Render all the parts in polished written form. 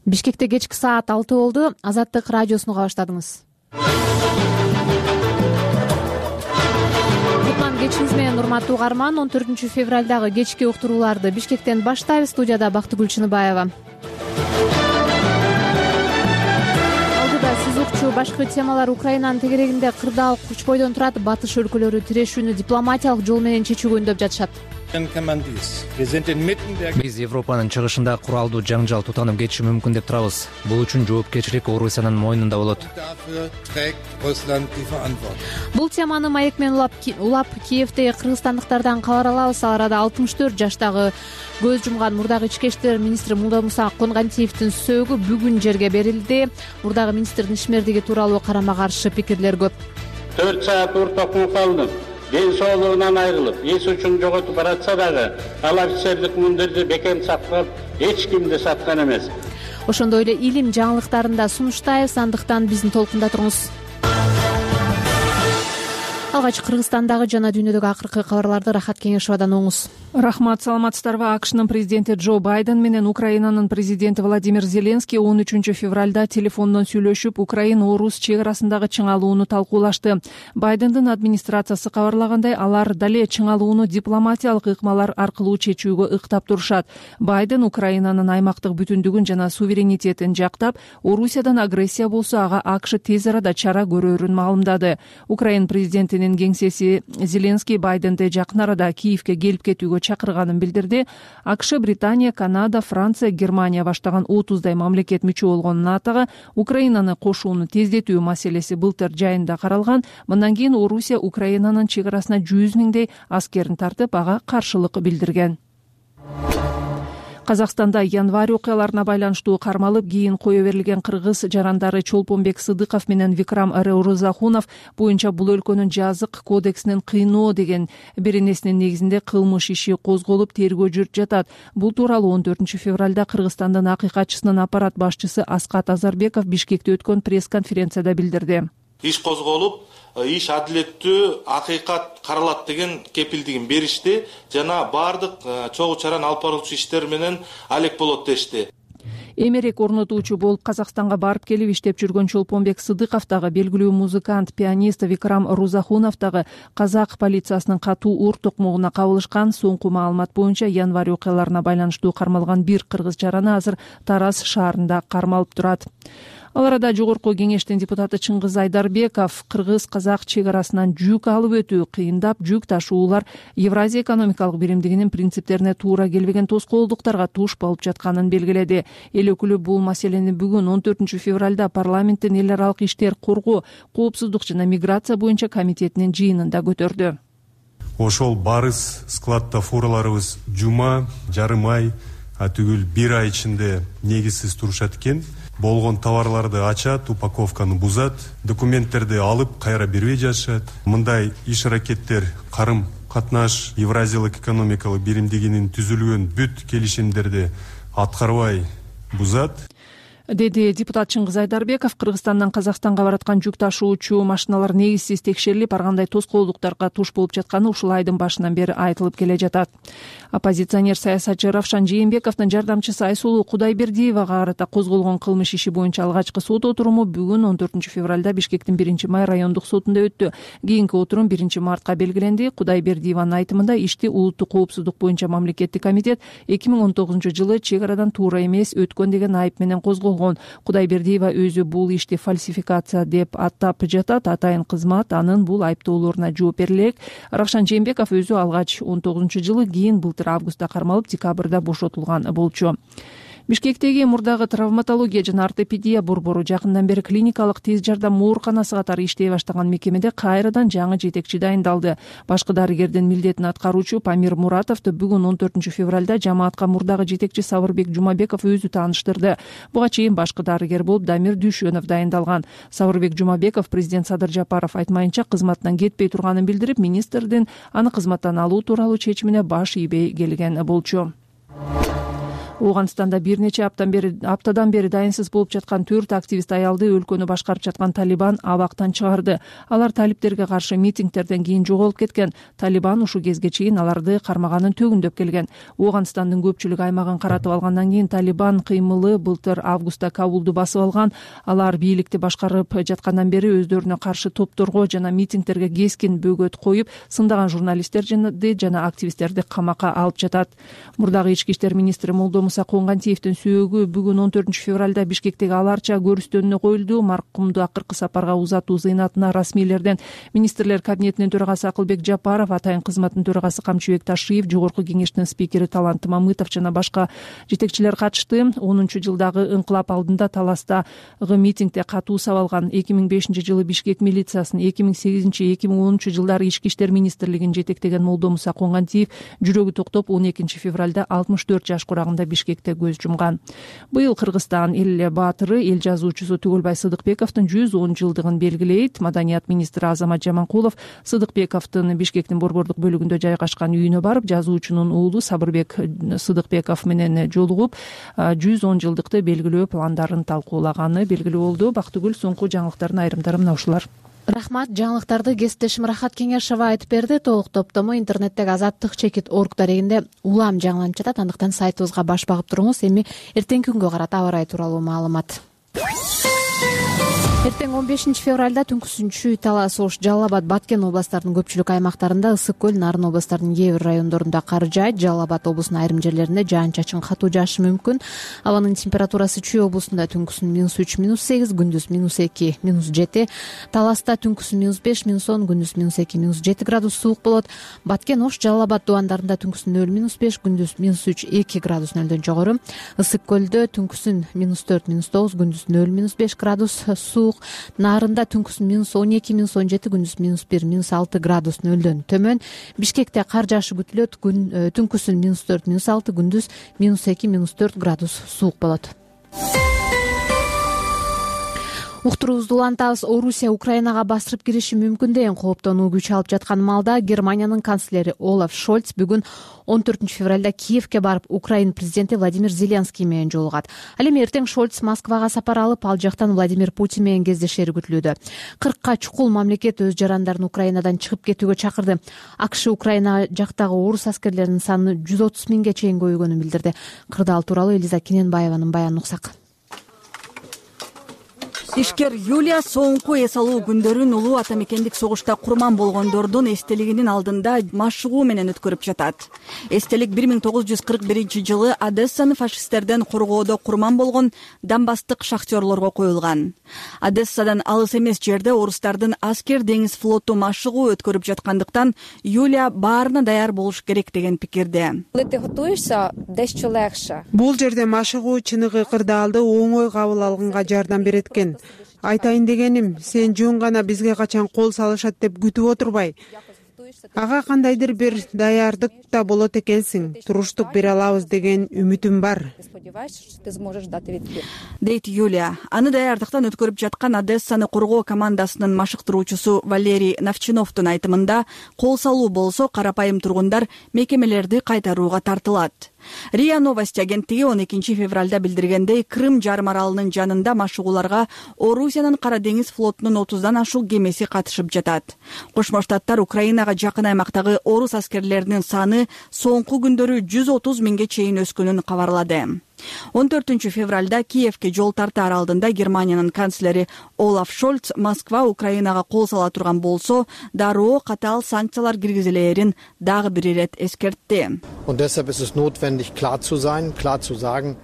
Бишкекте кечки саат 6 болду. Азаттык радиосуну уга баштадыңыз. Кутман кечиңиз менен, урматтуу угарман. 14 февралдагы кечки уктурууларды Бишкектен баштайбыз. Студияда Бактыгүл Чыныбаева. Алдыда сиз укчу башкы темалар: Украинанын тегерегинде кырдаал күч бойдон турат, батыш өлкөлөрү тирешүүнү дипломатиялык жол менен чечүүгө үндөп жатышат. Биз Европанын чыгышында куралдуу жаңжал тутанып кетиши мүмкүн деп турабыз. Бул үчүн жоопкерчилик Орусиянын мойнунда болот. Бул теманы маек менен улап Киевдеги кыргызстандыктардан кабар алабыз. Ал арада 64 жаштагы көз жумган мурдагы ички иштер министри Мулдамуса Конгантиевдин сөөгү бүгүн жерге берилди. Мурдагы министрдин ишмердиги тууралуу карама каршы пикирлер көп. 4 саат ууртокмо калдым. Ден соолугунан айрылып, эс үчүн жоготуп баратса дагы, ал офицерлик мундирди бекем сактап, эч кимди саткан эмес. Ошондой эле илим жаңылыктарын да сунуштайбыз, андыктан бизди толкунда туруңуз. Алгач Кыргызстандагы жана дүйнөдөгү акыркы кабарларды Рахат Кеңешовадан оңуз. Рахмат, саламатсыздарбы? AQShnын президенти Джо Байден менен Украинанын президенти Владимир Зеленский 13 февралда телефондон сүйлөшүп, Украина-Орус чек арасындагы чыңалууну талкуулашты. Байдендин администрациясы кабарлагандай, алар дале чыңалууну дипломатиялык ыкмалар аркылуу чечүүгө ыктап турушат. Байден Украинанын аймактык бүтүндүгүн жана суверенитетин жактап, Орусиядан агрессия болсо ага AQSh тез арада чара көрөрүн маалымдады. Украина президентинин кеңсеси Зеленский Байденди жакын арада Киевге келип кетүүгө чакырганын билдирди. AQSh, Британия, Канада, Франция, Германия баштаган 30дай мамлекет мүчө болгон НАТОго Украинаны кошууну тездетүү маселеси былтыр жайында каралган. Мындан кийин Орусия Украинанын чек арасына 100 миңдей аскерин тартып, ага каршылык билдирген. Казакстанда январь окуяларына байланыштуу кармалып, кийин кое берилген кыргыз жарандары Чолпонбек Сыдыков менен Викрам Рузахунов боюнча бул өлкөнүн жазык кодексинин кыйноо деген беренесинин негизинде кылмыш иши козголуп, тергөө жүрүп жатат. Бул тууралуу 14 февралда Кыргызстандын акыйкатчысынын аппарат башчысы Аскат Азарбеков Бишкекте өткөн пресс-конференцияда билдирди. Иш козголуп, иш адилеттүү, акыйкат каралат деген кепилдигин беришти жана баардык чогуу чараны алып баруучу иштер менен алек болот дешти. Эмерек орнотуучу болуп Казакстанга барып келип иштеп жүргөн Чолпонбек Сыдыков дагы, белгилүү музыкант, пианист Викрам Рузахунов дагы казак полициясынын катуу уур токмогуна кабылышкан. Соңку маалымат боюнча январь окуяларына байланыштуу кармалган бир кыргыз жараны азыр Тараз шаарында кармалып турат. Ал арада Жогорку кеңештин депутаты Чыңгыз Айдарбеков кыргыз-казак чек арасынан жүк алып өтүү кыйындап, жүк ташуулар Евразия экономикалык биримдигинин принциптерине туура келбеген тоскоолдуктарга туш болуп жатканын белгиледи. Эл өкүлү бул маселени бүгүн 14 февралда парламенттин эл аралык иштер коргоо, коопсуздук жана миграция боюнча комитетинин жыйынында көтөрдү. Ошол барыс складда фураларыбыз жума, жарым ай, түгүл бир ай ичинде негизсиз турушат экен. Болгон товарларды ачат, упаковканы бузат, документтерди алып кайра бербей жатышат. Мындай иш-аракеттер карым катнаш Евразиялык экономикалык биримдигинин түзүлгөн бүт келишимдерди аткарбай бузат, деди депутат Чыңгыз Айдарбеков. Кыргызстандан Казакстанга бараткан жүк ташуучу машиналар негизсиз текшерилип, ар кандай тоскоолдуктарга туш болуп жатканы ушул айдын башынан бери айтылып келе жатат. Оппозиционер саясатчы Равшан Жээнбековдун жардамчысы Айсулуу Кудайбердиевага карата козголгон кылмыш иши боюнча алгачкы сот отуруму бүгүн 14 февралда Бишкектин 1-май райондук сотунда өттү. Кийинки отурум 1-мартка белгиленди. Кудайбердиеванын айтымында ишти улуттук коопсуздук боюнча мамлекеттик комитет 2019-жылы чек арадан туура эмес өткөн деген айып менен козголгон. Кудайбердиева өзү бул ишти фальсификация деп аттап жатат. Атайын кызмат анын бул айыптоолоруна жооп бере элек. Равшан Жээнбеков өзү алгач 19-жылы, кийин былтыр августта кармалып, декабрда бошотулган болчу. Бишкектеги мурдагы травматология жана ортопедия борбору жакындан бери клиникалык тез жардам ооруканасы катары иштей баштаган мекемеде кайрадан жаңы жетекчи дайындалды. Башкы дарыгердин милдетин аткаруучу Памир Муратовду бүгүн 14 февралда жамаатка мурдагы жетекчи Сабырбек Жумабеков өзү тааныштырды. Буга чейин башкы дарыгер болуп Дамир Дүйшөнов дайындалган. Сабырбек Жумабеков президент Садыр Жапаров айтмайынча кызматтан кетпей турганын билдирип, министрдин аны кызматтан алуу тууралуу чечимине баш ийбей келген болчу. Ооганстанда бир нече аптадан бери дайынсыз болуп жаткан 4 активист аялды өлкөнү башкарып жаткан Талибан абактан чыгарды. Алар талиптерге каршы митингтерден кийин жоголуп кеткен. Талибан ушул кезге чейин аларды кармаганын төгүндөп келген. Ооганстандын көпчүлүк аймагын каратып алгандан кийин Талибан кыймылы былтыр августта Кабулду басып алган. Алар бийликти башкарып жаткандан бери өздөрүнө каршы топторго жана митингтерге кескин бөгөт коюп, сындаган журналисттерди жана активисттерди камакка алып жатат. Мурдагы ички иштер министри Молдомуса Конгантиевдин сөөгү бүгүн 14 февралда Бишкектеги аларча көрүстөнүнө коюлду. Маркумду акыркы сапарга узатуу зыйнатына расмийлерден министрлер кабинетинин төрагасы Акылбек Жапаров, атайын кызматтын төрагасы Камчыбек Ташиев, жогорку кеңештин спикери Талант Мамытов жана башка жетекчилер катышты. 10-жылдагы ыңкылап алдында Таластагы митингде катуу сабалган 2005-жылы Бишкек милициясын, 2008-2010 жылдары ички иштер министрлигин жетектеген Молдомуса Конгантиев жүрөгү токтоп 12 февралда 64 жаш курагында Бишкекте көз жумган. Быйыл Кыргызстан эл баатыры, эл жазуучусу Түгөлбай Сыдыкбековдун 110 жылдыгын белгилейт. Маданият министри Азамат Жаманкулов Сыдыкбековдун Бишкектин борбордук бөлүгүндө жайгашкан үйүнө барып, жазуучунун уулу Сабырбек Сыдыкбеков менен жолугуп, 110 жылдыкты белгилөө пландарын талкуулаганы белгилүү болду. Бактыгүл, соңку жаңылыктардын айрымдары мына ушулар. Рахмат. Жаңылыктарды кесиптешим Рахат Кеңешова айтып берди. Толук топтому интернеттеги azаттык-чекит.org дарегинде улам жаңыланып жатат. Андыктан сайтыбызга баш багып туруңуз. Эми эртеңки күнгө карата аба ырайы тууралуу маалымат. Эртең 15 февралда түнкүсүнчү Талас, Ош, Жалал Абад, Баткен областарынын көпчүлүк аймактарында, Ысык көл, Нарын областарынын кээ бир райондорунда кар жаайт. Жалал Абад облусунун айрым жерлеринде жаан-чачын катуу жаашы мүмкүн. Абанын температурасы Чүй облусунда түнкүсүн -3, -8, күндүз -2, -7. Таласта түнкүсүн -5, -10, күндүз -2, -7 градус суук болот. Баткен, Ош, Жалал Абад дубандарында түнкүсүн 0, -5, күндүз -3, 2 градус нөлдөн жогору. Ысык көлдө түнкүсүн -4, -9, күндүз 0, -5 градус суук. Нарында түнкүсүн -12, -17, күндүз -1, -6 градус нөлдөн төмөн. Бишкекте кар жаашы күтүлөт. Түнкүсүн -4, -6, күндүз -2, -4 градус суук болот. Уктуруубузду улантабыз. Орусия Украинага басырып кириши мүмкүн деген кооптонуу күч алып жаткан маалда Германиянын канцлери Олаф Шольц бүгүн 14 февралда Киевке барып, Украин президенти Владимир Зеленский менен жолугат. Ал эми эртең Шольц Москвага сапар алып, ал жактан Владимир Путин менен кездешери күтүлүүдө. 40ка чукул мамлекет өз жарандарын Украинадан чыгып кетүүгө чакырды. АКШ Украина жактагы орус аскерлеринин саны 130 миңге чейин көбөйгөнүн билдирди. Кырдаал тууралуу Элиза Кененбаеванын баянын уксак. Ишкер Юлия соңку эс алуу күндөрүн улуу ата мекендик согушта курман болгондордун эстелигинин алдында машыгуу менен өткөрүп жатат. Эстелик 1941-жылы Одессаны фашисттерден коргоодо курман болгон Донбасстык шахтерлорго коюлган. Одессадан алыс эмес жерде орустардын аскер деңиз флоту машыгуу өткөрүп жаткандыктан Юлия баарына даяр болуш керек деген пикирде. Бул жерде машыгуу чыныгы кырдаалды оңой кабыл алганга жардам берет экен. Айтайын дегеним, сен жөн гана бизге качан кол салышат деп күтүп отурбай, ага кандайдыр бир даярдык да болот экенсиң, туруштук бере алабыз деген үмүтүм бар, дейт Юлия. Аны даярдыктан өткөрүп жаткан Одессаны коргоо командасынын машыктыруучусу Валерий Навчиновдун айтымында, кол салуу болсо карапайым тургундар мекемелерди кайтарууга тартылат. РИА Новости агенттиги 12 февралда билдиргендей, Крым жарым аралынын жанында машыгууларга Орусиянын Кара деңиз флотунун 30дан ашук кемеси катышып жатат. Кошмо Штаттар Украинага жакын аймактагы орус аскерлеринин саны соңку күндөрү 130 миңге чейин өскөнүн кабарлады. 14 февралда Киевке жол тартаар алдында Германиянын канцлери Олаф Шольц Москва Украинага кол сала турган болсо, дароо катаал санкциялар киргизилээрин дагы бир ирет эскертти.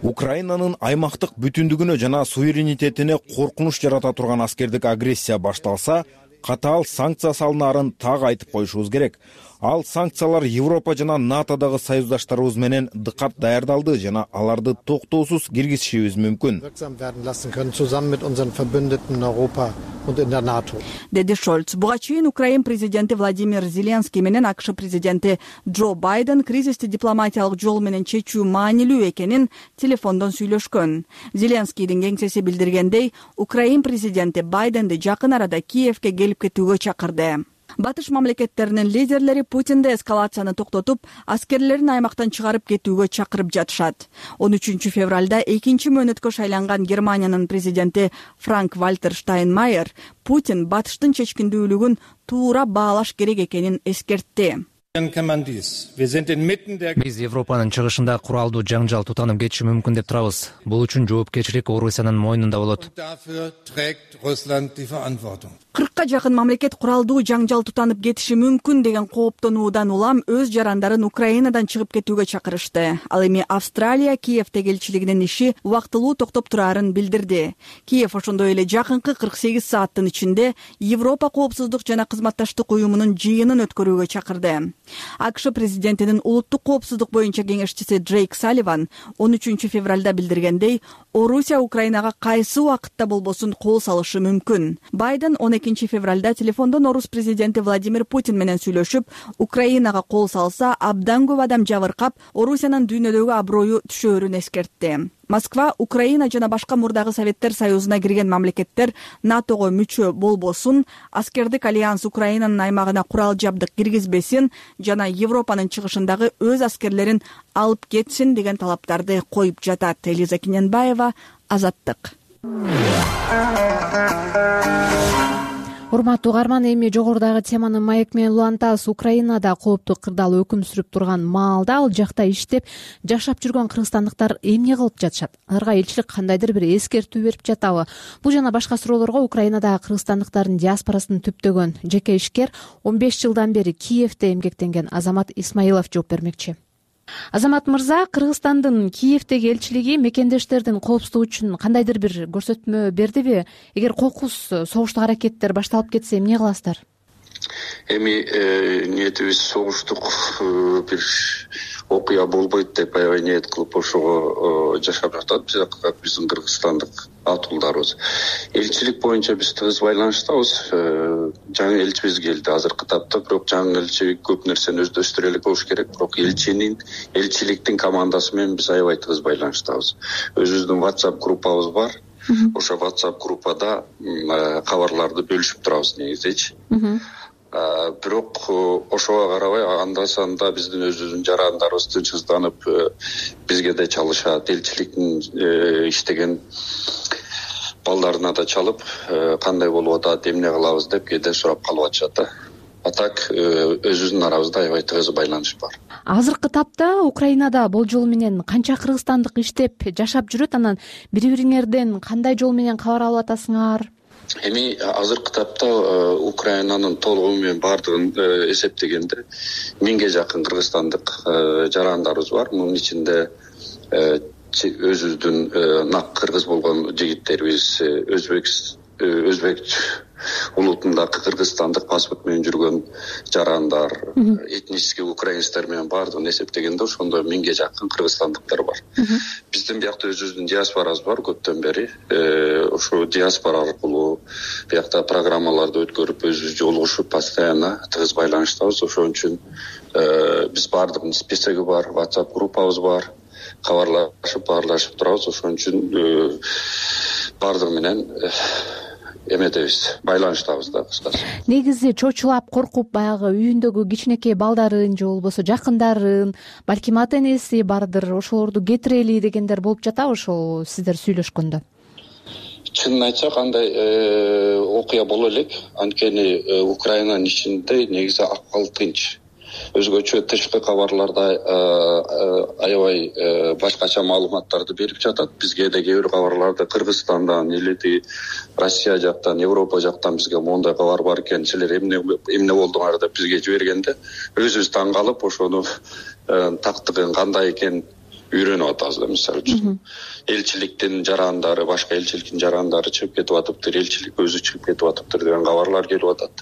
Украинанын аймактык бүтүндүгүнө жана суверенитетине коркунуч жарата турган аскердик агрессия башталса, катаал санкция салынаарын так айтып коюшубуз керек. Ал санкциялар Европа жана НАТОдагы союздаштарыбыз менен дыккат даярдалды жана аларды токтоосуз киргизишибиз мүмкүн, деди Шольц. Буга чейин Украин президенти Владимир Зеленский менен АКШ президенти Джо Байден кризисти дипломатиялык жол менен чечүү маанилүү экенин телефондон сүйлөшкөн. Зеленскийдин кеңсеси билдиргендей, Украин президенти Байденди жакын арада Киевке келип кетүүгө чакырды. Батыш мамлекеттеринин лидерлери Путинди эскалацияны токтотуп, аскерлерин аймактан чыгарып кетүүгө чакырып жатышат. 13 февралда 2 мөөнөткө шайланган Германиянын президенти Франк-Вальтер Штайнмайер Путин батыштын чечкиндүүлүгүн туура баалаш керек экенин эскертти. Биз Европанын чыгышында куралдуу жаңжал тутанып кетиши мүмкүн деп турабыз. Бул үчүн жоопкерчилик Орусиянын мойнунда болот. 40 жакын мамлекет куралдуу жаңжал тутанып кетиши мүмкүн деген кооптонуудан улам өз жарандарын Украинадан чыгып кетүүгө чакырышты. Ал эми Австралия Киевдеги элчилигинин иши убактылуу токтоп турарын билдирди. Киев ошондой эле жакынкы 48 сааттын ичинде Европа коопсуздук жана кызматташтык уюмунун жыйынын өткөрүүгө чакырды. АКШ президентинин улуттук коопсуздук боюнча кеңешчиси Джейк Салливан 13 февралда билдиргендей, Орусия Украинага кайсы убакытта болбосун кол салышы мүмкүн. Байден 12 февралда телефондон орус президенти Владимир Путин менен сүйлөшүп, Украинага кол салса, абдан көп адам жабыркап, Орусиянын дүйнөдөгү аброю түшөөрүн эскертти. Москва Украина жана башка мурдагы Советтер Союзуна кирген мамлекеттер НАТОго мүчө болбосун, аскердик альянс Украинанын аймагына курал жабдык киргизбесин жана Европанын чыгышындагы өз аскерлерин алып кетсин деген талаптарды коюп жатат. Элиза Киненбаева, Азаттык. Урматтуу угарман, эми жогорудагы теманы маек менен улантабыз. Украинада кооптуу кырдаал өкүм сүрүп турган маалда ал жакта иштеп жашап жүргөн кыргызстандыктар эмне кылып жатышат? Аларга элчилик кандайдыр бир эскертүү берип жатабы? Бул жана башка суроолорго Украинадагы кыргызстандыктардын диаспорасын түптөгөн жеке ишкер 15 жылдан бери Киевде эмгектенген Азамат Исмаилов жооп бермекчи. Азамат мырза, Кыргызстандын Киевдеги элчилиги мекендештердин коопсуздугу үчүн кандайдыр бир көрсөтмө бердиби? Эгер кокус согуштук аракеттер башталып кетсе эмне кыласыздар? Эми ниетибиз согуштук бир окуя болбойт деп аябай ниет кылып ошого жашап жатат биздин кыргызстандык атуулдарыбыз. Элчилик боюнча биз тыгыз байланыштабыз. Жаңы элчибиз келди азыркы тапта, бирок жаңы элчи көп нерсени өздөштүрө элек болуш керек. Бирок элчиликтин командасы менен биз аябай тыгыз байланыштабыз. Өзүбүздүн WhatsApp группабыз бар. Ошо WhatsApp группада кабарларды бөлүшүп турабыз негизичи. Бирок ошого карабай анда санда биздин өзүбүздүн жарандарыбыз тынчсызданып бизге да чалышат, элчиликтин иштеген балдарына да чалып, кандай болуп атат, эмне кылабыз деп кээде сурап калып атышат да. Так өзүбүздүн арабызда аябай тыгыз байланыш бар. Азыркы тапта Украинада бул жол менен канча кыргызстандык иштеп жашап жүрөт? Анан бири-бириңерден кандай жол менен кабар алып атасыңар? Эми азыркы тапта Украинанын толугу менен баардыгын эсептегенде 1000ге жакын кыргызстандык жарандарыбыз бар. Мунун ичинде өзүбүздүн нак кыргыз болгон жигиттерибиз, өзбек улутундагы кыргызстандык паспорт менен жүргөн жарандар, этнический украинецтер менен баардыгын эсептегенде ошондой 1000ге жакын кыргызстандыктар бар. Биздин биякта өзүбүздүн диаспорабыз бар көптөн бери. Ошо диаспора аркылуу биякта программаларды өткөрүп, өзүбүз жолугушуп, постоянно тыгыз байланыштабыз. Ошон үчүн биз баардыгынын списоги бар, WhatsApp группабыз бар. Баарлашып турабыз. Ошон үчүн баардыгы менен эмедебиз, байланыштабыз да кыскасы. Негизи чочулап, коркуп, баягы үйүндөгү кичинекей балдарын же болбосо жакындарын, балким ата энеси бардыр, ошолорду кетирели дегендер болуп жатабы ошол сиздер сүйлөшкөндө? Чынын айтсак, андай окуя боло элек. Анткени Украинанын ичинде негизи акыбал тынч. Өзгөчө тышкы кабарларда аябай башкача маалыматтарды берип жатат. Бизге да кээ бир кабарларда Кыргызстандан или Россия жактан, Европа жактан бизге мондай кабар бар экен, силер эмне болдуңар деп бизге жибергенде өзүбүз таң калып, ошону тактыгын кандай экен үйрөнүп атабыз да. Мисалы үчүн элчиликтин жарандары, башка элчиликтин жарандары чыгып кетип атыптыр, элчилик өзү чыгып кетип атыптыр деген кабарлар келип атат.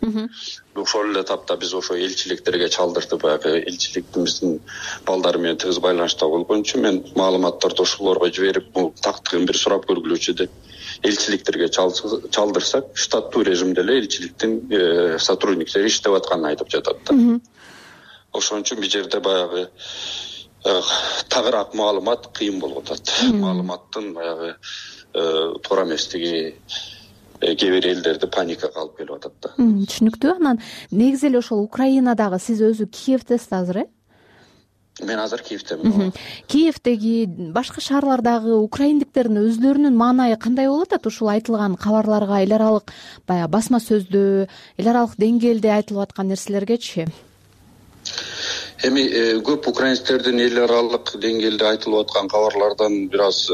Ошол эле тапта биз ошо элчиликтерге чалдыртып, баягы элчиликтин биздин балдары менен тыгыз байланышта болгон үчүн мен маалыматтарды ошолорго жиберип, бул тактыгын бир сурап көргүлөчү деп элчиликтерге чалдырсак, штаттуу режимде эле элчиликтин сотрудниктери иштеп атканын айтып жатат да. Ошон үчүн бул жерде баягы тагыраак маалымат кыйын болуп атат. Маалыматтын баягы туура эместиги кээ бир элдерди паникага алып келип атат да. Түшүнүктүү. Анан негизи эле ошол Украинадагы сиз өзү Киевдесиз азыр, Мен азыр Киевдемин. Киевдеги башка шаарлардагы украиндиктердин өзлөрүнүн маанайы кандай болуп атат ушул айтылган кабарларга, эл аралык баягы басма сөздө, эл аралык деңгээлде айтылып аткан нерселергечи? Эми көп украинецтердин эл аралык деңгээлде айтылып аткан кабарлардан бир аз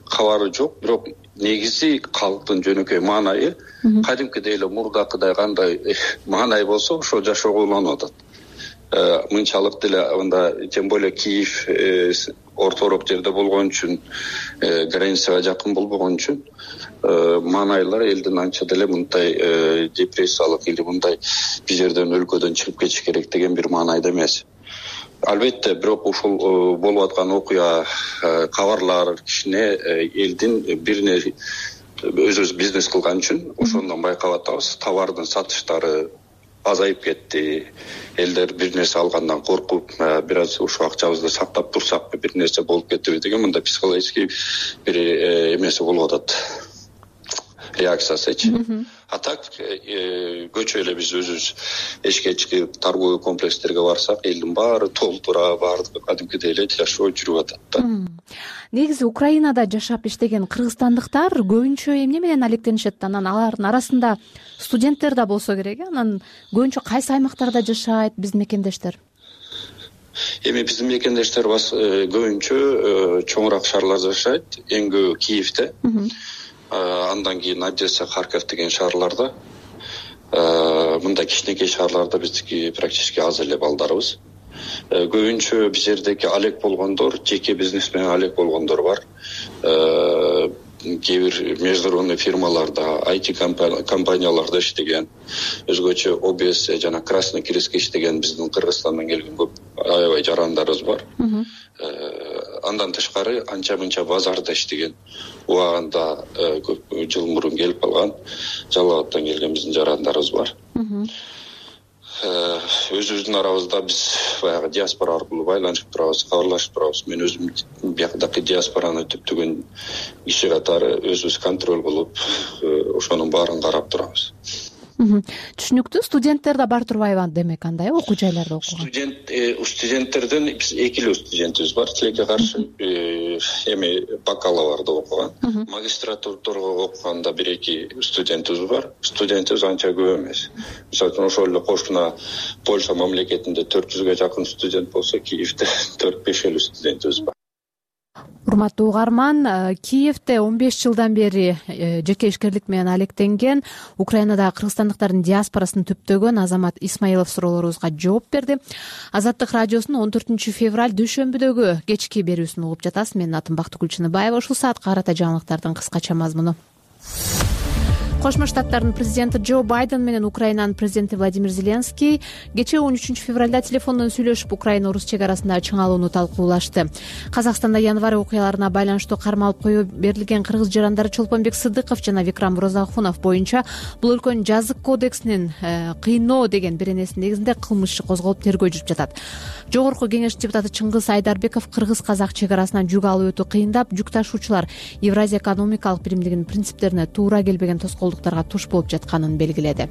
кабары жок, бирок негизи калктын жөнөкөй маанайы кадимкидей эле мурдакыдай кандай маанай болсо ошол жашоого уланып атат. Мынчалык деле анда тем более Киев орторок жерде болгон үчүн, границага жакын болбогон үчүн маанайлар элдин анча деле мындай депрессиялык или мындай бир жерден өлкөдөн чыгып кетиш керек деген бир маанайда эмес. Албетте, бирок ушул болуп аткан окуя кабарлар кичине элдин бирине өзүбүз бизнес кылган үчүн ошондон байкап атабыз. Товардын сатыштары азайып кетти. Элдер бир нерсе алгандан коркуп, бир аз ушул акчабызды сактап турсакпы, бир нерсе болуп кетеби деген мындай психологический бир эмеси болуп атат. Реакциясычы. А так көчө эле биз өзүбүз эшикке чыгып торговый комплекстерге барсак, элдин баары толтура, баардыгы кадимкидей эле жашоо жүрүп атат да. Негизи Украинада жашап иштеген кыргызстандыктар көбүнчө эмне менен алектенишет? Анан алардын арасында студенттер да болсо керек. Анан көбүнчө кайсы аймактарда жашайт биздин мекендештер? Эми биздин мекендештер көбүнчө чоңураак шаарларда жашайт. Эң көбү Киевде. Андан кийин Одесса, Харьков деген шаарларда. Мындай кичинекей шаарларда биздики практически аз эле балдарыбыз. Көбүнчө биз жердеки алек болгондор, жеке бизнес менен алек болгондор бар. Кээ бир международный фирмаларда, IT компанияларда иштеген, өзгөчө ОБС жана Красный Крестке иштеген биздин Кыргызстандан келген көп аябай жарандарыбыз бар. Андан тышкары анча мынча базарда иштеген, убагында көп жыл мурун келип калган Жалал абадтан келген биздин жарандарыбыз бар. Өзүбүздүн арабызда биз баягы диаспора аркылуу байланышып турабыз, кабарлашып турабыз. Мен өзүм биякдагы диаспораны түптөгөн киши катары өзүбүз контроль кылып, ошонун баарын карап турабыз. Түшүнүктүү. Студенттер да бар турбайбы демек андай окуу жайларда окуган? Студенттерден биз эки эле студентибиз бар. Тилекке каршы эми бакалаврда окуган. Магистратурада окуганда бир-эки студентибиз бар. Студентибиз анча көп эмес. Мисалы ошол эле кошуна Польша мамлекетинде 400га жакын студент болсо, Киевде 4-5 эле студентибиз бар. Урматтуу угарман, Киевде 15 жылдан бери жеке ишкерлик менен алектенген Украинадагы кыргызстандыктардын диаспорасын түптөгөн Азамат Исмаилов суроолорубузга жооп берди. Азаттык радиосунун 14 февраль дүйшөмбүдөгү кечки берүүсүн угуп жатасыз. Менин атым Бактыгүл Чыныбаева. Ушул саатка карата жаңылыктардын кыскача мазмуну. Кошмо Штаттардын президенти Джо Байден менен Украинанын президенти Владимир Зеленский кечээ 13 февралда телефондон сүйлөшүп, Украина-Орус чек арасындагы чыңалууну талкуулашты. Казакстанда январь окуяларына байланыштуу кармалып коюу берилген кыргыз жарандары Чолпонбек Сыдыков жана Викрам Розахунов боюнча бул өлкөнүн жазык кодексинин кыйноо деген беренеси негизинде кылмыш иши козголуп тергөө жүрүп жатат. Жогорку кеңеш депутаты Чыңгыз Айдарбеков кыргыз-казак чек арасынан жүк алып өтүү кыйындап, жүк ташуучулар Евразия экономикалык биримдигинин принциптерине туура келбеген тоскоолдуктарга туш болуп жатканын белгиледи.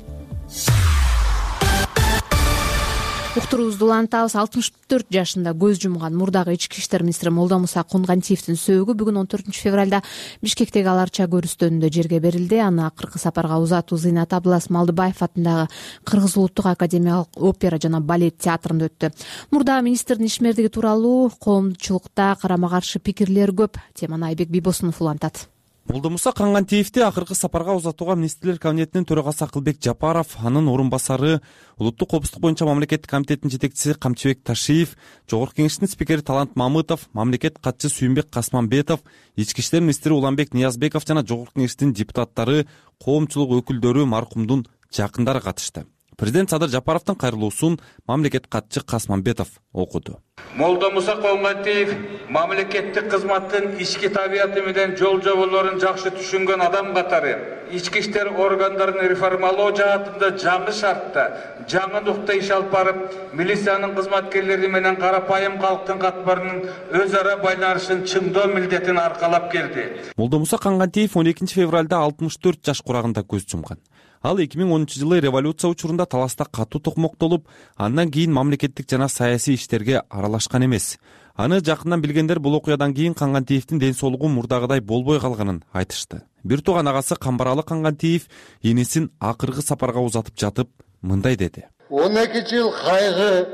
Уктуруубузду улантабыз. 64 жашында көз жумган мурдагы ички иштер министри Молдомуса Кунгантиевдин сөөгү бүгүн 14 февралда Бишкектеги Аларча көрүстөнүндө жерге берилди. Аны акыркы сапарга узатуу Зыйнат Абылас Малдыбаев атындагы Кыргыз улуттук академиялык опера жана балет театрында өттү. Мурда министрдин ишмердиги тууралуу коомчулукта карама каршы пикирлер көп. Теманы Айбек Бибосунов улантат. Молдомуса Кунгантиевди акыркы сапарга узатууга министрлер кабинетинин төрагасы Акылбек Жапаров, анын орун басары улуттук коопсуздук боюнча мамлекеттик комитеттин жетекчиси Камчыбек Ташиев, жогорку кеңештин спикери Талант Мамытов, мамлекет катчысы Сүйүнбек Касманбетов, ички иштер министри Уланбек Ниязбеков жана жогорку кеңештин депутаттары, коомчулук өкүлдөрү, маркумдун жакындары катышты. Президент Садыр Жапаровдун кайрылуусун мамлекет катчы Касмамбетов окуду. Молдомуса Конгантиев мамлекеттик кызматтын ички табияты менен жол жоболорун жакшы түшүнгөн адам катары ички иштер органдарын реформалоо жаатында жаңы шартта, жаңы нукта иш алып барып, милициянын кызматкерлери менен карапайым калктын катмарынын өз ара байланышын чыңдоо милдетин аркалап келди. Молдомуса Конгантиев 12 февралда 64 жаш курагында көз жумган. Ал 2010-жылы революция учурунда таласта катуу токмоктолуп, андан кийин мамлекеттик жана саясий иштерге аралашкан эмес. Аны жакындан билгендер бул окуядан кийин Конгантиевдин ден соолугу мурдагыдай болбой калганын айтышты. Бир тууган агасы Камбаралы Конгантиев энесин акыркы сапарга узатып жатып мындай деди. 12 жыл кайгы,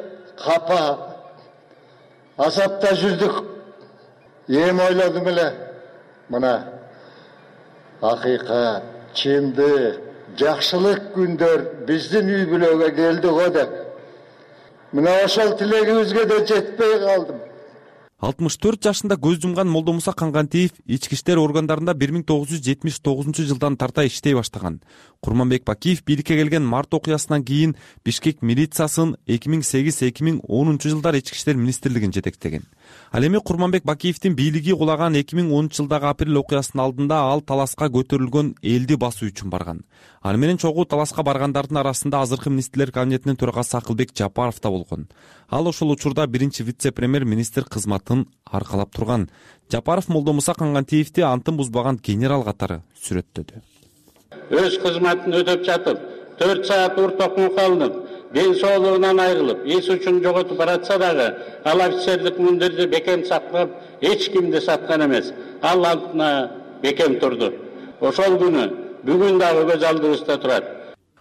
капа, азапта жүрдүк. Эми ойлодум эле, мына акыйкат, чындык, жакшылык күндөр биздин үй бүлөгө келди го деп. Мына ошол тилегибизге да жетпей калдым. 64 жашында көз жумган Молдомуса Конгантиев ички иштер органдарында 1979-жылдан тарта иштей баштаган. Курманбек Бакиев бийликке келген март окуясынан кийин Бишкек милициясын 2008-2010 жылдар ички иштер министрлигин жетектеген. Ал эми Курманбек Бакиевдин бийлиги кулаган 2010-жылдагы апрель окуясынын алдында ал таласка көтөрүлгөн элди басуу үчүн барган. Аны менен чогуу таласка баргандардын арасында азыркы министрлер кабинетинин төрагасы Акылбек Жапаров да болгон. Ал ошол учурда биринчи вице-премьер-министр кызматын аркалап турган. Жапаров Молдомуса Конгантиевди антын бузбаган генерал катары сүрөттөдү. Өз кызматын өтөп жатып, 4 саат уртокун калдым. Ден соолугунан айрылып, эс үчүн жоготуп баратса дагы, ал офицерлик мундирди бекем сактап, эч кимди саткан эмес. Ал алдына бекем турду. Ошол күнү бүгүн дагы көз алдыбызда турат.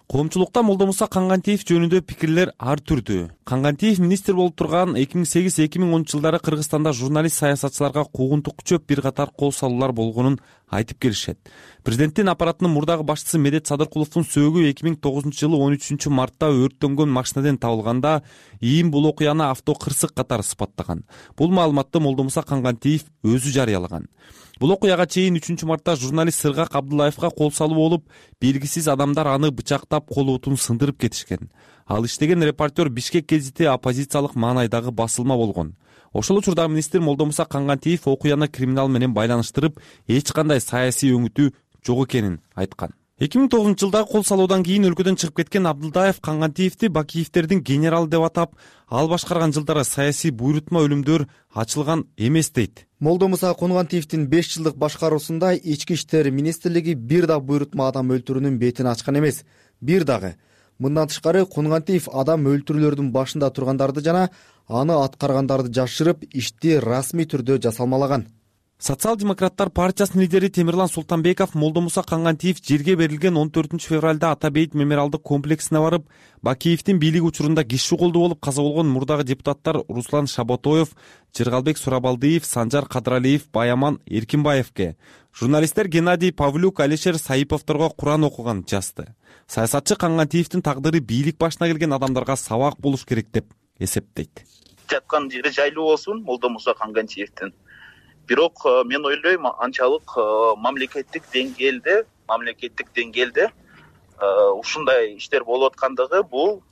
Коомчулукта Молдомуса Конгантиев жөнүндө пикирлер ар түрдүү. Конгантиев министр болуп турган 2008-2010 жылдары Кыргызстанда журналист саясатчыларга куугунтук күчөп бир катар кол салуулар болгонун айтып келишет. Президенттин аппаратынын мурдагы башчысы Медет Садыркуловдун сөөгү 2009 жылы 13 мартта өрттөнгөн машинаден табылганда ИИМ бул окуяны автокырсык катары сыпаттаган. Бул маалыматты Молдомуса Конгантиев өзү жарыялаган. Бул окуяга чейин 3 мартта журналист Сыргак Абдуллаевга кол салуу болуп, белгисиз адамдар аны бычактап колутун сындырып кетишкен. Ал иштеген репортер Бишкек гезити оппозициялык маанайдагы басылма болгон. Ошол учурда министр Молдомуса Конгантиев окуяны криминал менен байланыштырып, эч кандай саясий өңүтү жок экенин айткан. 2009 жылда кол салуудан кийин өлкөдөн чыгып кеткен Абдулдаев Конгантиевди Бакиевдердин генералы деп атап, ал башкарган жылдары саясий буйрутма өлүмдөр ачылган эмес дейт. Молдомуса Конгантиевдин 5 жылдык башкаруусунда ички иштер министрлиги бир да буйрутма адам өлтүрүүнүн бетин ачкан эмес. Бир дагы. Мындан тышкары Конгантиев адам өлтүрүүлөрдүн башында тургандарды жана аны аткаргандарды жашырып, ишти расмий түрдө жасалмалаган. Социал-демократтар партиясынын лидери Темирлан Султанбеков Молдомуса Конгантиев жерге берилген 14 февралда Атабейит мемориалдык комплексине барып, Бакиевдин бийлиги учурунда киши колду болуп каза болгон мурдагы депутаттар Руслан Шаботоев, Жыргалбек Сурабалдиев, Санжар Кадралиев, Баяман Эркинбаевке, журналисттер Геннадий Павлюк, Алишер Саиповторго Куран окуган жазды. Саясатчы Конгантиевдин тагдыры бийлик башына келген адамдарга сабак болуш керек деп эсептейт. Жаткан жери жайлуу болсун Молдомуса Конгантиевдин. Бирок мен ойлойм, анчалык мамлекеттик деңгээлде ушундай иштер болуп аткандыгы бул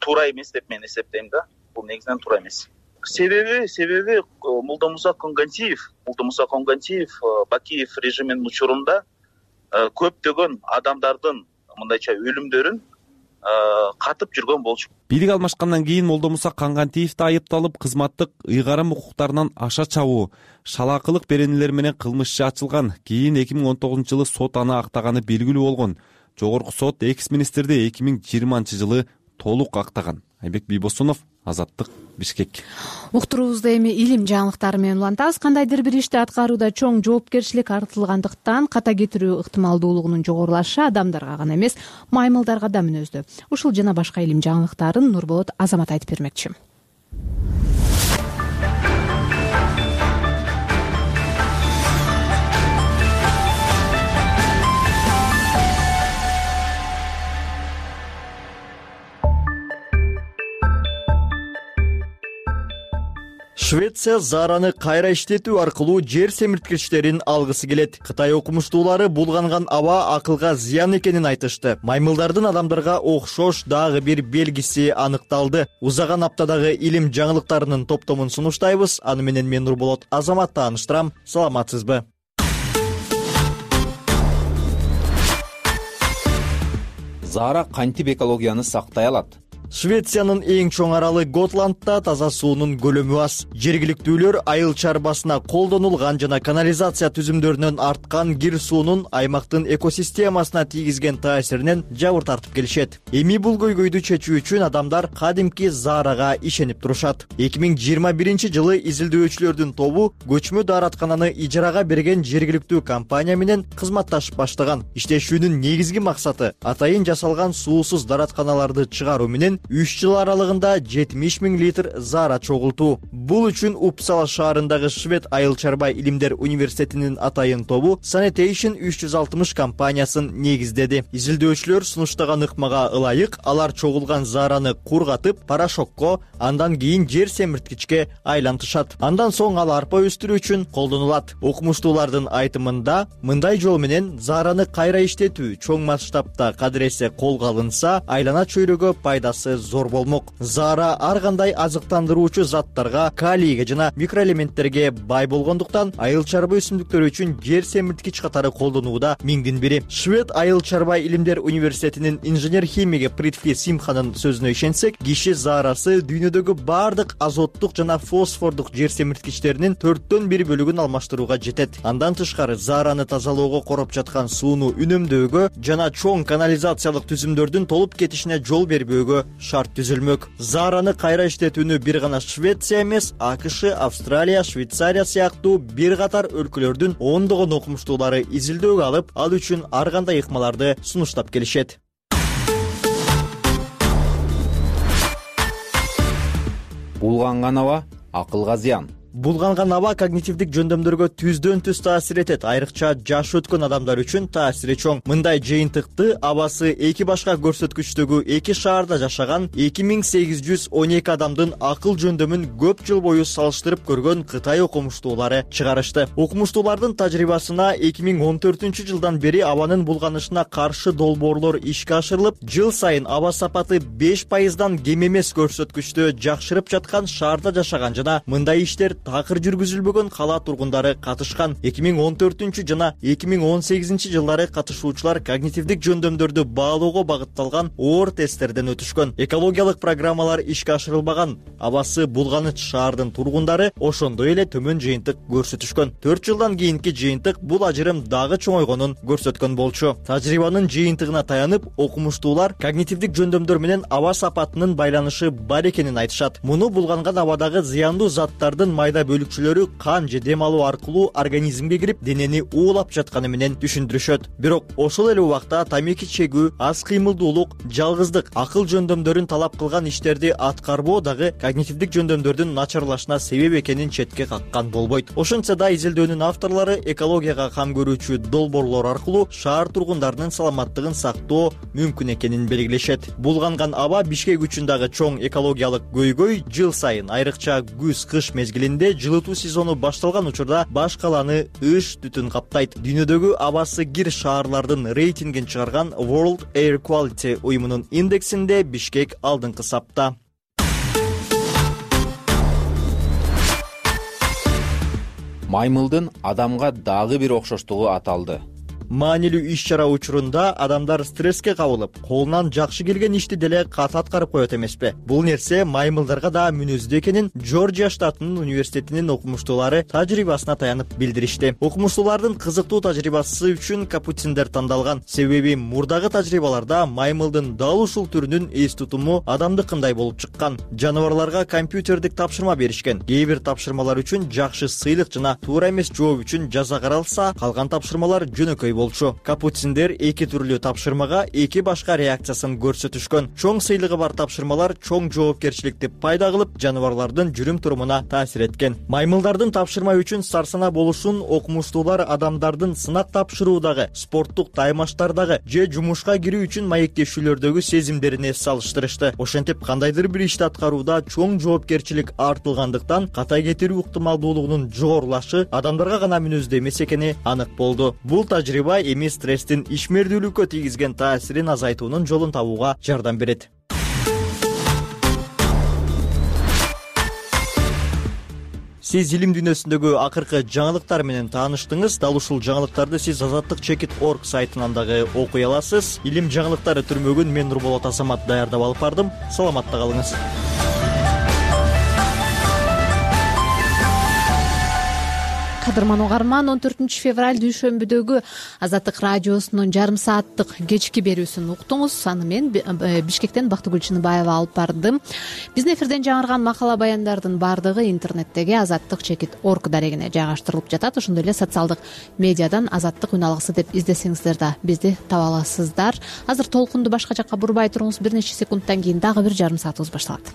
туура эмес деп мен эсептейм да. Бул негизинен туура эмес. Себеби Молдомуса Конгантиев Бакиев режиминин учурунда көптөгөн адамдардын мындайча өлүмдөрүн катып жүргөн болчу. Бийлик алмашкандан кийин Молдомуса Конгантиев да айыпталып, кызматтык ыйгарым укуктарынан аша чабуу, шалаакылык беренелер менен кылмыш иши ачылган. Кийин 2019 жылы сот аны актаганы белгилүү болгон. Жогорку сот экс-министрди 2020 жылы толук актаган. Айбек Бийбосунов, Азаттык, Бишкек. Уктуруубузду эми илим жаңылыктары менен улантабыз. Кандайдыр бир ишти аткарууда чоң жоопкерчилик артылгандыктан ката кетирүү ыктымалдуулугунун жогорулашы адамдарга гана эмес, маймылдарга да мүнөздүү. Ушул жана башка илим жаңылыктарын Нурболот Азамат айтып бермекчи. Швеция Зараны кайра иштетүү аркылуу жер семирткичтерин алгысы келет. Кытай окумуштуулары булганган аба акылга зыян экенин айтышты. Маймылдардын адамдарга окшош дагы бир белгиси аныкталды. Узаган аптадагы илим жаңылыктарынын топтомун сунуштайбыз. Аны менен мен Нурболот Азамат тааныштырам. Саламатсызбы? Зара кантип экологияны сактай алат? Швециянын эң чоң аралы Готландда таза суунун көлөмү аз. Жергиликтүүлөр айыл чарбасына колдонулган жана канализация түзүмдөрүнөн арткан кир суунун аймактын экосистемасына тийгизген таасиринен жабыр тартып келишет. Эми бул көйгөйдү чечүү үчүн адамдар кадимки Зарага ишенип турушат. 2021-жылы изилдөөчүлөрдүн тобу көчмө даараткананы ижарага берген жергиликтүү компания менен кызматташып баштаган. Иштешүүнүн негизги максаты атайын жасалган суусуз дааратканаларды чыгаруу менен 3 жыл аралыгында 70 000 литр Зара чогултуу. Бул үчүн Упсала шаарындагы Швед айыл чарба илимдер университетинин атайын тобу Sanitation 360 компаниясын негиздеди. Изилдөөчүлөр сунуштаган ыкмага ылайык алар чогулган Зараны кургатып, порошокко, андан кийин жер семирткичке айлантышат. Андан соң ал арпа өстүрүү үчүн колдонулат. Окумуштуулардын айтымында мындай жол менен Зараны кайра иштетүү чоң масштабта кадыресе колго алынса, айлана чөйрөгө пайдасы зор болмок. Зара ар кандай азыктандыруучу заттарга, калийге жана микроэлементтерге бай болгондуктан айыл чарба өсүмдүктөрү үчүн жер семирткич катары колдонууда миңдин бири. Швед айыл чарба илимдер университетинин инженер-химиги Притфи Симханын сөзүнө ишенсек, киши Зарасы дүйнөдөгү бардык азоттук жана фосфордук жер семирткичтеринин 1/4 бөлүгүн алмаштырууга жетет. Андан тышкары Зараны тазалоого короп жаткан сууну үнөмдөөгө жана чоң канализациялык түзүмдөрдүн толуп кетишине жол бербөөгө шарт түзүлмөк. Зараны кайра иштетүүнү бир гана Швеция эмес, АКШ, Австралия, Швейцария сыяктуу бир катар өлкөлөрдүн ондогон окумуштуулары изилдөөгө алып, ал үчүн ар кандай ыкмаларды сунуштап келишет. Булганган аба акылга зыян. Булганган аба когнитивдик жөндөмдөргө түздөн түз таасир этет. Айрыкча жаш өткөн адамдар үчүн таасири чоң. Мындай жыйынтыкты абасы 2 башка көрсөткүчтөгү 2 шаарда жашаган 2812 адамдын акыл жөндөмүн көп жыл бою салыштырып көргөн Кытай окумуштуулары чыгарышты. Окумуштуулардын тажрыйбасына 2014-жылдан бери абанын булганышына каршы долбоорлор ишке ашырылып, жыл сайын аба сапаты 5%дан кем эмес көрсөткүчтө жакшырып жаткан шаарда жашаган жана мындай иштер такыр жүргүзүлбөгөн кала тургундары катышкан. 2014 жана 2018 жылдары катышуучулар когнитивдик жөндөмдөрдү баалоого багытталган оор тесттерден өтүшкөн. Экологиялык программалар ишке ашырылбаган абасы булганыч шаардын тургундары ошондой эле төмөн жыйынтык көрсөтүшкөн. 4 жылдан кийинки жыйынтык бул ажырым дагы чоңойгонун көрсөткөн болчу. Тажрыйбанын жыйынтыгына таянып, окумуштуулар когнитивдик жөндөмдөр менен аба сапатынын байланышы бар экенин айтышат. Муну булганган абадагы зыяндуу заттардын майда бөлүкчөлөрү кан же дем алуу аркылуу организмге кирип, денени уулап жатканы менен түшүндүрүшөт. Бирок ошол эле убакта тамеки чегүү, аз кыймылдуулук, жалгыздык, акыл жөндөмдөрүн талап кылган иштерди аткарбоо дагы когнитивдик жөндөмдөрдүн начарлашына себеп экенин четке каккан болбойт. Ошентсе да изилдөөнүн авторлору экологияга кам көрүүчү долбоорлор аркылуу шаар тургундарынын саламаттыгын сактоо мүмкүн экенин белгилешет. Булганган аба Бишкек үчүн дагы чоң экологиялык көйгөй. Жыл сайын, айрыкча күз-кыш мезгилинде жылытуу сезону башталган учурда баш каланы ыш түтүн каптайт. Дүйнөдөгү абасы кир шаарлардын рейтингин чыгарган World Air Quality уюмунун индексинде Бишкек алдыңкы сапта. Маймылдын адамга дагы бир окшоштугу аталды. Маанилүү иш-чара учурунда адамдар стресске кабылып, колунан жакшы келген ишти деле кат аткарып коет эмеспи? Бул нерсе маймылдарга да мүнөздүү экенин Жоржия штатынын университетинин окумуштуулары тажрыйбасына таянып билдиришти. Окумуштуулардын кызыктуу тажрыйбасы үчүн капуциндер тандалган. Себеби мурдагы тажрыйбаларда маймылдын дал ушул түрүнүн эс тутуму адамдыкындай болуп чыккан. Жаныбарларга компьютердик тапшырма беришкен. Кээ бир тапшырмалар үчүн жакшы сыйлык жана туура эмес жооп үчүн жаза каралса, калган тапшырмалар жөнөкөй болчу. Капуциндер 2 түрлүү тапшырмага 2 башка реакциясын көрсөтүшкөн. Чоң сыйлыгы бар тапшырмалар чоң жоопкерчиликти пайда кылып, жаныбарлардын жүрүм-турумуна таасир эткен. Маймылдардын тапшырма үчүн сарсана болушун окумуштуулар адамдардын сынак тапшыруудагы, спорттук таймаштардагы же жумушка кирүү үчүн маектешүүлөрдөгү сезимдерине салыштырышты. Ошентип, кандайдыр бир ишти аткарууда чоң жоопкерчилик артылгандыктан ката кетирүү ыктымалдуулугунун жогорулашы адамдарга гана мүнөздүү эмес экени анык болду. Бул тажрыйба эми стресстин ишмердүүлүккө тийгизген таасирин азайтуунун жолун табууга жардам берет. Сиз илим дүйнөсүндөгү акыркы жаңылыктар менен тааныштыңыз. Дал ушул жаңылыктарды сиз azattik.org сайтынан дагы окуй аласыз. Илим жаңылыктары түрмөгүн мен Нурболот Асамат даярдап алып бардым. Саламатта калыңыз. Кадырман угарман, 14 февраль дүйшөмбүдөгү Азаттык радиосунун жарым сааттык кечки берүүсүн уктуңуз. Аны мен Бишкектен Бактыгүл Чыныбаева алып бардым. Биздин эфирден жаңырган макала баяндардын баардыгы интернеттеги azattik.org дарегине жайгаштырылып жатат. Ошондой эле социалдык медиадан Азаттык үн алгысы деп издесеңиздер да бизди таба аласыздар. Азыр толкунду башка жакка бурбай туруңуз. Бир нече секундтан кийин дагы бир жарым саатыбыз башталат.